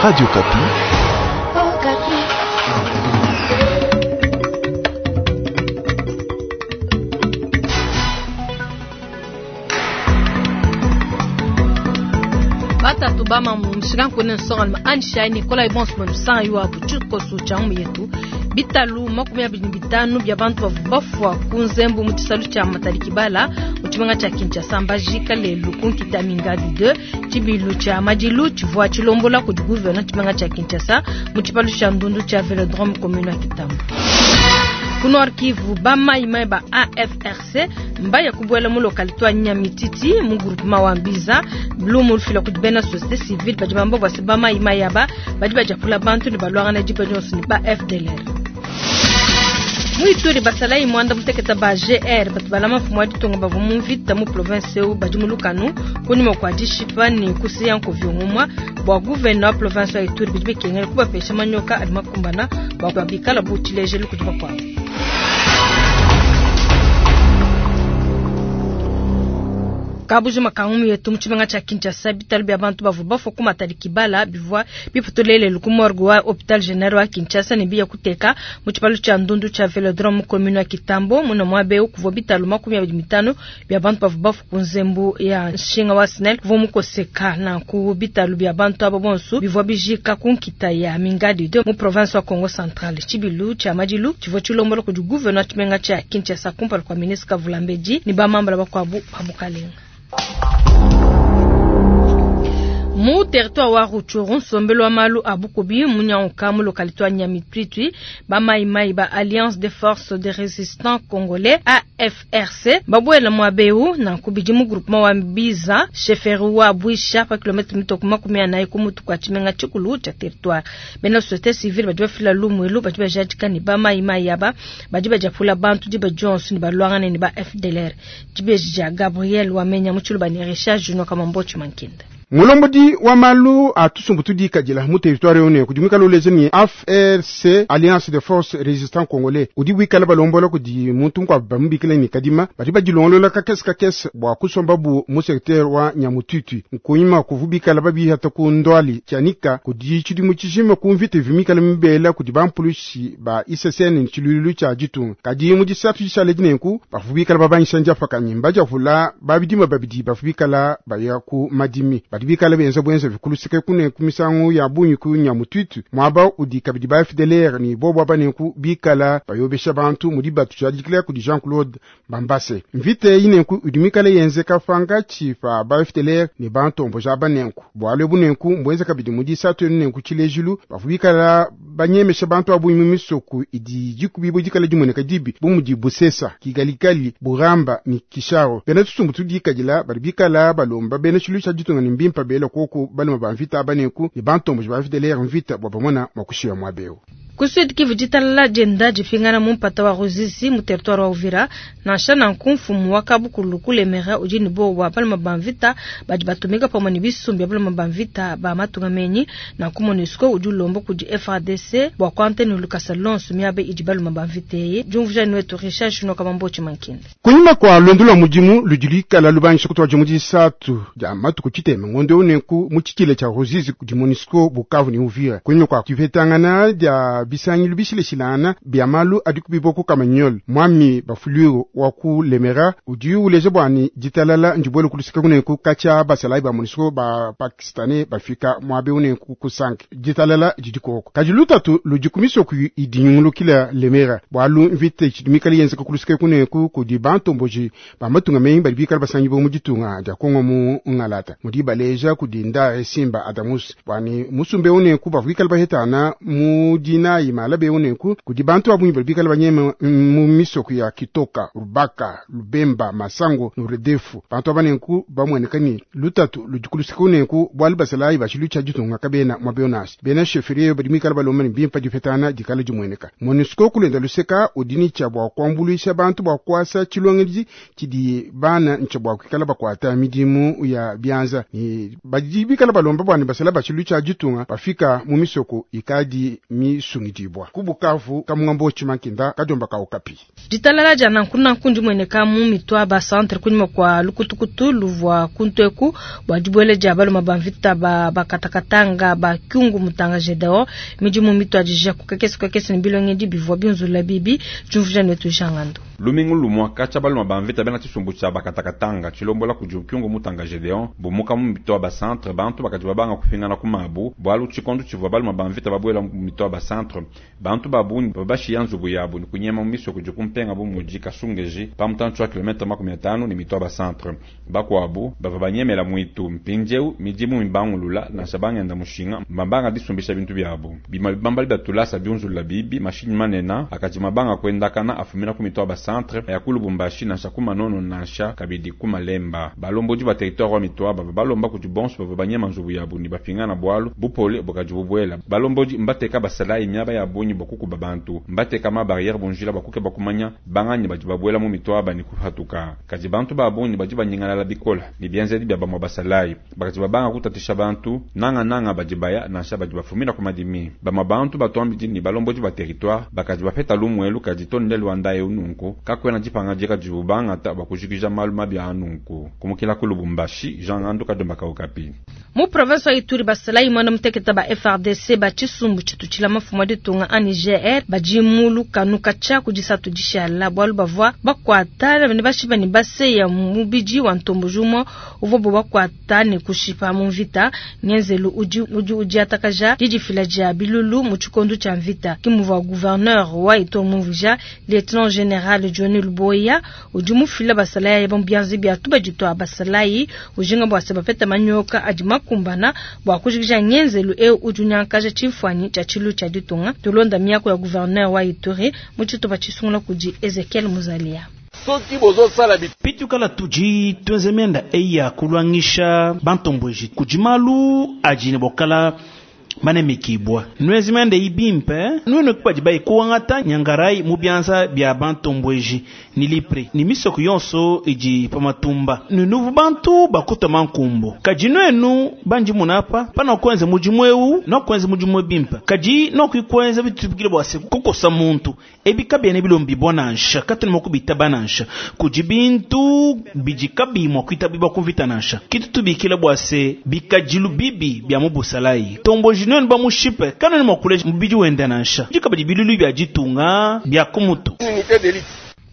Radio Okapi. Batatu bama mu nshinga nkune nsonga Anne Nicolas Ebons mu sang yo abu tshikoso tshia mu yetu bitalu 25 bya bantu bavu bafwa ku nzembu mu tshisalu tshia Matadi Kibala mu tshimenga tshia Kinshasa mbajika lelu ku nkita Mingadi 2 tshibilu tshia madilu tshivua tshilombola kudi gouverneur tshimenga tshia Kinshasa mu tshipalu tshia ndundu tshia Velodrome commune ya Kitambo. Ku Nord Kivu ba mai mai ba AFRC mbaya kubuela mu localité wa Nyamititi mu groupement wa Mbiza Lumu lufila kudi bena société civile badi bamba bua se ba mai mai aba badi badiapula bantu ne balwangana diba dionso ne ba FDLR. Mu Ituri basalayi mwanda muteketa ba GR batu balama mfumu wa ditunga bavua mu mvita mu province eu badi mu lukanu kunyima kua dishipa ne kusiya nkovi ngumwa bua gouverneur wa province wa Ituri bidi bikengela kubapesha manyoka adi makumbana bua bikala bu tshilejelu kudi bakuabu. Kabuji makangu yetu mu tshimenga tshia Kinshasa bitalu bya bantu bavua bafua ku Matadi Kibala bivua biputulele ku morgue wa hôpital général wa Kinshasa ne biya kuteka mu tshipalu tshia ndundu tshia Velodrome mu commune ya Kitambo muna muabe kuvua bitalu 25 bya bantu bavua bafua ku nzembu ya nshinga wa SNEL kuvua mukoseka na ku bitalu bya bantu abo bonso bivua bijika ku nkita ya Mingadi de mu province wa Congo Central. Tshibilu tshia madilu tshivua tshilombola kudi gouverneur wa tshimenga tshia Kinshasa kumpala kua ministre Kavulambedi ne bamambala bakuabu ba bukalenga. Mu territoire wa Rutshuru nsombelu wa malu a bukubi munyanguka mu localité wa Nyamitwitwi ba mai mai ba Alliance des forces de résistance congolais AFRC babuela mwabeu na kubidi mu groupement wa Mbiza chefferie wa Bwisha pa kilomètre mitoko 40 ku mutu kwa tshimenga tshikulu tshia territoire. Bena société civile badi bafila lumuelu badi bajadika ne ba mai mai aba badi badiapula bantu diba dionso ne balwangana ne ba FDLR. Tshibeji dia Gabriel Wamenya mu tshiluba ne Richard Junior Kamambochi Mankinda. Mulombodi wa malu a tusumbu tudikadila mu territoire one kudi mwikala uleja ni AFRC Alliance des Forces Résistants Congolais udi wikala balombola kudi muntu nkwa bamubikila ni kadima badi badilongolola kakese kakese bua kusomba bu mu secteur wa Nyamututu nkunyima kuvubikala babihata ku ndwali tyanika kudi tshidimu tshijima ku mvita vimikala mibela kudi bampulushi ba ICCN ntshiluilu tshia ditunga kadi mu disatu dishale dinenku bavubikala babanyisha ndiapakanyi mbadiavula babidima babidi bavubikala baya ku madimi badi bikala benza bwenza bikuluseke kune ku misangu ya bungi ku Nyamututu mwaba udi kabidi ba FDLR ni bobo abanenku bikala bayobesha bantu mudi batu tshadikila kudi Jean-Claude Bambase. Mvite inenku udi mikale yenzeka pangatshi pa ba FDLR ni bantu mboja abanenku bwale bunenku mbwenza kabidi mudi satu nenku tshilejilu bavu bikala banyemesha bantu abu mu misoku idi dikubibo dikala dimoneka dibi bu mudi Busesa Kigalikali Buramba ni Kisharo. Bena tusumbu tudikadila badi bikala balomba bena tshilu tsha ditunga ni mbimpa bela koko baluma ba mvita abanenku ni bantu mboja ba FDLR mvita bwa bamona mwakushiya mwabeo. Ku Sud Kivu ditalala dienda dipingana mu mpata wa Ruzizi mu territoire wa Uvira nansha nanku mfumu wa Kabukulu kulemera udi ne bowa baluma ba mvita badi batumika pamue ne bisumbi bya baluma ba mvita ba matunga menyi nanku MONUSCO udi ulomba kudi FARDC bua kuante ne lukasa lonso miaba idi baluma ba mvita eyi. Diumvuija ni wetu Richard Junior Kamambochi Mankinde. Kunyima kua luendu lua mudimu ludi luikala lubangisha kutuadija mu disatu dia matuku tshitema ngondo unenku mu tshitshile tshia Ruzizi kudi MONUSCO Bukavu ne Uvira. Kunyima kua dipetangana dia bisangilu bishileshilana bya malu adi kubiboko Kamanyola mwami Bafuliro wa ku Lemera udi uleja bwani ditalala ndibwele kulusika kunenku katshia basalayi ba MONUSCO ba Pakistanais bafika mwabe unenku kusanke ditalala didi koko kadi lutatu ludi ku misoku idi nyungulukila Lemera bwalu mvita tshidi mikale yenzeka kulusika kunenku kudi bantomboji ba matunga menyi badi bikala basangi bo mu ditunga dia Kongo mu Ngalata mudi baleja kudi nda Simba Adamus bwani musumbe unenku bavuikala bahetana mu dinayi malabe unenku kudi bantu abunyi bali bikala banyema mu misoku ya Kitoka, Rubaka, Lubemba, Masango, Nuredefu. Bantu abanenku bamweneka ni lutatu ludi kulusika unenku bwalu basalayi bashilu tsha ditunga kabena mwabionasi. Bena chefferie badi mikala balomba ni bimpa dipetana dikala dimweneka. MONUSCO kulenda luseka udini tsha bua kuambuluisha bantu bua kuasa tshilongedi tshidi bana ntsha bua kuikala bakuata midimu ya bianza. Ni badi bikala balomba bwani basala bashilu tsha ditunga bafika mu misoko ikadi misungibwe. ditungidibua ku Bukavu kamunga mbotshi mankinda kadiomba ka Okapi. Ditalala dia nanku nanku ndimueneka mu Mitwaba centre kunyima kua lukutukutu luvua kuntu eku bua dibuela dia baluma ba mvita ba bakatakatanga ba Kyungu Mutanga Gedeon. Midimu mituadija ku kakese kakese ne bilongedi bivua binzula bibi diumvuija netu Jean Ngando. Lumingu lumua katshia baluma ba mvita bena tshisumbu tshia bakatakatanga tshilombola kudi Kyungu Mutanga Gedeon bumuka mu Mitwaba centre, bantu bakadi babanga kupingana ku mabu bualu tshikondo tshivua baluma ba mvita babuela mu Mitwaba centre, bantu ba bungi babashiya nzubu yabu ne kunyema mu misoko idi kumpenga bu mudi Kasungeji pa mutantshi wa kilomètre 50 ne Mitwaba centre. Bakuabu bavua banyemela muitu. Mpindieu midimu mibangulula, nansha bangenda mushinga mbambanga disumbisha bintu biabu. Bima bibambali bia tulasa biunzulula bibi, mashinyi manene akadi mabanga kuendakana afumina ku Mitwaba centre ya ku Lubumbashi nansha ku Manono nansha kabidi ku Malemba. Balombodi ba territoire wa Mitwaba balomba kudi bonso bavua banyema nzubu yabu ne bapingana bualu bupole bukadi bubuela. Balombodi mbateka basalayi miaba ya bungi bua kukuba bantu, mbateka ma barrière bunjila bua kukeba kumanya banganyi badi babuela mu Mitwaba ne kupatuka. Kadi bantu ba bungi badi banyingalala bikola ne bienzedi bia bamue basalayi bakadi babanga kutatisha bantu nanga nanga badi baya nansha badi bafumina ku madimi. Bamue bantu batuambidi ne balombodi ba territoire bakadi bapeta lumuelu kadi tonde lwanda eu nunku kakwena dipangadika dibu bangata bua kujikija malu mabi a nunku. Kumukila ku Lubumbashi, Jean Ngandu, Kadiomba ka Okapi. Mu province wa Ituri, basalayi mwana muteketa ba FARDC ba tshisumbu tshitutshila mafumu a ditunga ANGR badi mu lukanu katshia ku disatu dishala bualu bavua bakuata ne bashipa ne baseya mubidi wa ntomboji umue uvua bo bakuata ne kushipa mu mvita. Ngenzelu udi udi udiatakaja didifila dia bilulu mu tshikondo tshia mvita, ke muvua gouverneur wa Ituri mumvuija. Lieutenant général Johnny Luboya udi mufila basalayi ba mu bianza bia tubadi tua basalayi, ujinga bua se bapeta manyoka adi makumbana bua kujikija ngenzelu eu udi unyankaja tshimfuanyi tshia tshilu tshia ditunga. Tulonda miako ya gouverneur wa Ituri mu tshitupa tshisungula kudi Ezekiel Muzalia. Soki bozosala pitukala tudi tuenze mianda eyi ya kulwangisha bantombweji kudi malu adi ne bokala banemekibwa nwezi mianda eyi bimpe nwenu badi bayi kuangata nyangarai mu bianza bia bantombweji ni lipre ni misoko yonso idi pa matumba nunuvu bantu bakutama nkumbu kadi nwenu bandi munapa pana kwenza mudimu eu nokwenza mudimu bimpe kadi nokwikwenza bitubikile bua se kukosa muntu ebi kabiene bilombi bua nansha katuni mua kubitaba nansha kudi bintu bidi kabiyi mua kuitabibwa kumvita nansha kitu tubikile bua se bikadilu bibi bia mu busalayi tomboji nwenu bamushipe kanene mua kuleja mubidi wenda nansha dikabadi bilulu bia ditunga bia kumutu. Unité d'élite.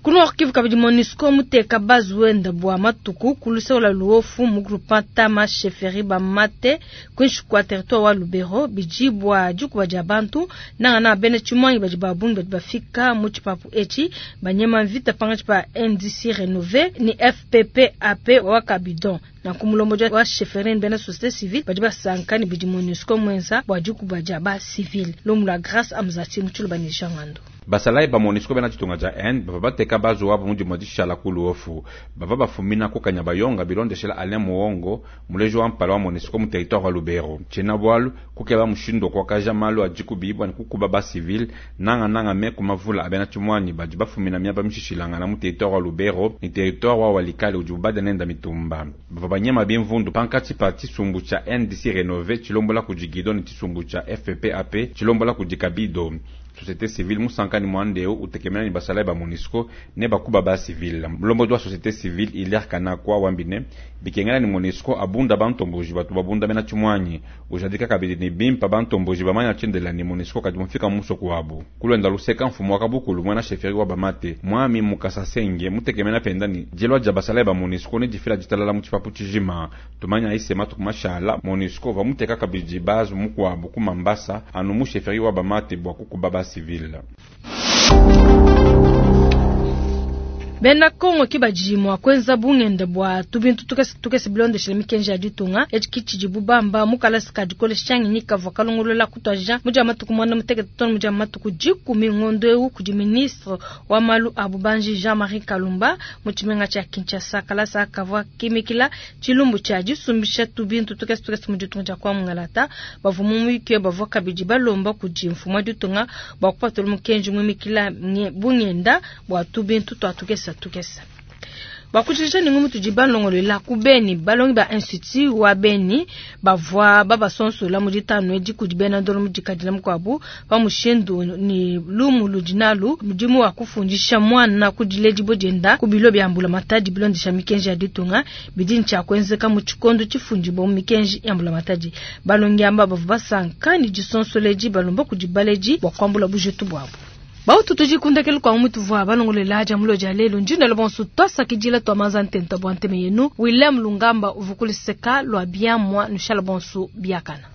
Ku Nord Kivu kabidi, MONUSCO muteka base wenda bua matuku ku luseke luofu mu groupement Tama, chefferie Bamate, kuinshi kua territoire wa Lubero. Bidi bua dikuba dia bantu nanga na bena tshimwangi badi babungi badi bafika mu tshipapu etshi banyema mvita pangatshi pa NDC Renouvelé ni FPPAP wa Kabidon. Nanku mulombodi wa chefferie bena société civile badi basanka ne bidi MONUSCO mwenza bua dikuba dia ba civil. Lumu lua Grâce Amzati mu tshiluba ne Jean Ngando. Basalayi ba MONUSCO bena ditunga dia Inde bava bateka bazu wabo mu dimue dishala ku Luofu bava bafumina ku Kanyabayonga, bilondeshela Alain Muongo, muleji wa mpala wa MONUSCO mu territoire wa Lubero. Tshiena bualu kukeba mushindu wa kuakaja malu adi kubibwa ne kukuba ba civil nanga nanga me kumavula abena tshimwanyi badi bafumina miaba mishishilangana mu territoire wa Lubero ni territoire wa Walikale udi bubada nenda mitumba. Bava banyema bimvundu pankatshi pa tshisumbu tshia NDC Renouvelé tshilombola kudi Guido ne tshisumbu tshia FPPAP tshilombola kudi Kabido. Société civile musankani mwandeo utekemena ni basalayi ba MONUSCO ne bakuba ba civil. Mulombodi wa société civile Hilaire Kanakwa wambine bikengela ni MONUSCO abunda bantomboji batu babunda bena tshimwanyi, ujadika kabidi ni bimpa bantomboji bamanya tshindela ni MONUSCO kadi mufika musoko wabu. Kulwenda luseka, mfumu wa kabukulu mwana chefferie wa Bamate mwami Mukasa Senge mutekemena penda ni jelwa dja basalayi ba MONUSCO ne difila ditalala mu tshipapu tshijima. Tumanya isema tukumashala MONUSCO vamuteka kabidi base mukuabu ku Mambasa anu mu chefferie wa Bamate bua kukuba ba civil. Bena Kongo ki badi mua kuenza bungenda bua tubintu tukese tukese bilondeshela mikenji ya ditunga. Etshi kitshidi bubamba mu kalasa ka dikolesha ngenyi kavua kalongolola kutuadija mu dia matuku 18 too mu dia matuku 10 ngondo eu kudi ministre wa malu a bubanji Jean-Marie Kalumba mu tshimenga tshia Kinshasa. Kalasa kavua kimikila tshilumbu tshia disumbisha tubintu tukese tukese mu ditunga dia kwa mungalata. Bavua mu muyuki bavua kabidi balomba kudi mfumu wa ditunga bua kupatula mukenji muimikila bungenda bua tubintu tua tukese tukese. Bakutshisha ne ngumu tudi balongolola ku Beni, balongi ba institut wa Beni bavua babasonsola mu ditanu edi kudi bena ndolo mu dikadila mukuabu pa mushindu ne lumu ludi nalu mudimu wa kufundisha muana ku diledibua dienda ku bilo bia mbulamatadi bilondesha mikenji ya ditunga bidi ne tshia kuenzeka mu tshikondo tshifundibua mu mikenji ya mbulamatadi. Balongi amba bavua basanka ne disonsola edi balomba kudi baledi bua kuambula bujitu buabu. Bautu tudi kundekelu kwa mutu vua balongolela dia mulo dia lelu ndinda bonso twasakidila twa manza ntenta bua nteme yenu William Lungamba uvukuliseka lwa biamwa nushala bonso biakana.